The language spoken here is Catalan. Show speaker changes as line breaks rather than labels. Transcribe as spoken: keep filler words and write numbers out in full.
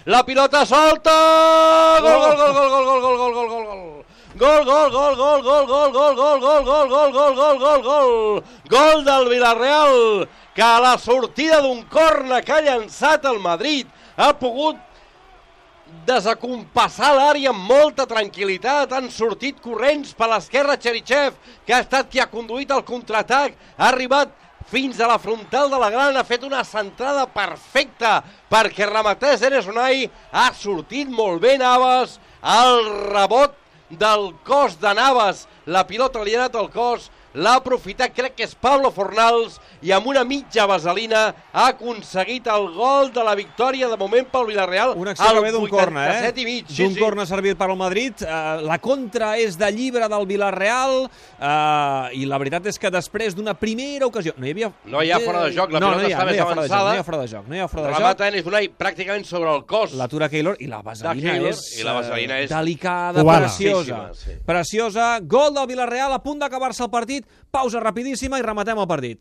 la pilota solta, gol, gol, gol, gol, gol, gol, gol, gol, gol, gol, gol. Gol, gol, gol, gol, gol, gol, gol, gol, gol, gol, gol, gol, gol, gol, gol, gol del Villarreal, que a la sortida d'un corna que ha llançat el Madrid ha pogut desacompassar l'àrea amb molta tranquil·litat. Han sortit corrents per l'esquerra Cherichev, que ha estat qui ha conduït el contraatac, ha arribat fins a la frontal de la gran, ha fet una centrada perfecta perquè rematés Enes Unai, ha sortit molt bé Navas, el rebot del cos de Navas, la pilota li ha anat al cos, l'ha aprofitat, crec que és Pablo Fornals, i amb una mitja vaselina ha aconseguit el gol de la victòria de moment pel Villarreal.
Una acció que ve d'un corna, eh?
Mig, sí,
d'un
sí.
corna servit per al Madrid. Uh, la contra és de llibre del Villarreal, uh, i la veritat és que després d'una primera ocasió... No hi havia...
No hi ha fora de joc, la
no,
pilota
no hi ha,
està
no
més
hi ha
avançada.
No hi ha fora de joc, no hi ha fora de joc.
Remata Enes Unai pràcticament sobre el cos.
L'atura Keylor, i la vaselina
Keylor,
és,
i la vaselina és
delicada,
cubana.
preciosa.
Sí.
Preciosa. Gol del Villarreal, a punt d'acabar-se el partit. Pausa rapidíssima i rematem el partit.